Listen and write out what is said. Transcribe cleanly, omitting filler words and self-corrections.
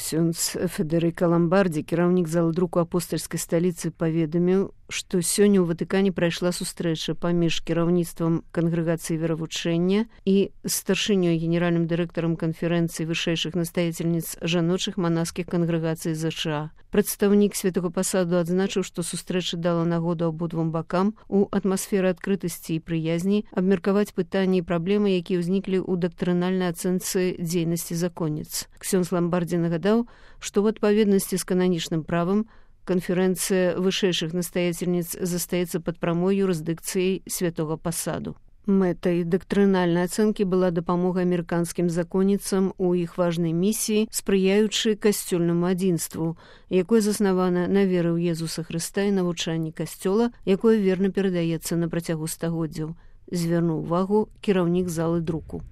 Ксёндз Федэрыка Ламбардзі, кіраўнік залы друку апостальскай сталіцы, паведаміў, што сёння ў Ватыкане прайшла сустрэча паміж кіраўніцтвам кангрэгацыі веравучэння і старшынёй генеральным дырэктарам канферэнцыі вышэйшых настаяцельніц жаночых манаскіх кангрэгацый ЗША. Прадстаўнік святого пасаду адзначыў, што сустрэча дала нагоду абодвум бакам у атмасферы адкрытасці і прыязні абмеркаваць пытанні і праблемы, якія ўзніклі ў дактрынальнай ацэнцы дзейнасці законніц. Ксёндз Ламбардзі нагадаў, што ў адпаведнасці з кананічным правам канферэнцыя вышэйшых настаяцельніц застаецца пад прамой юрысдыкцыяй святого пасаду. Мэтай дактрынальнай ацэнкі была дапамога амерыканскім законніцам у іх важнай місіі, спрыяючы касцёльнаму адзінству, якое заснавана на веры ў Езуса Хрыста і навучанні касцёла, якое верна перадаецца на працягу стагоддзяў, звярнуў увагу кіраўнік залы друку.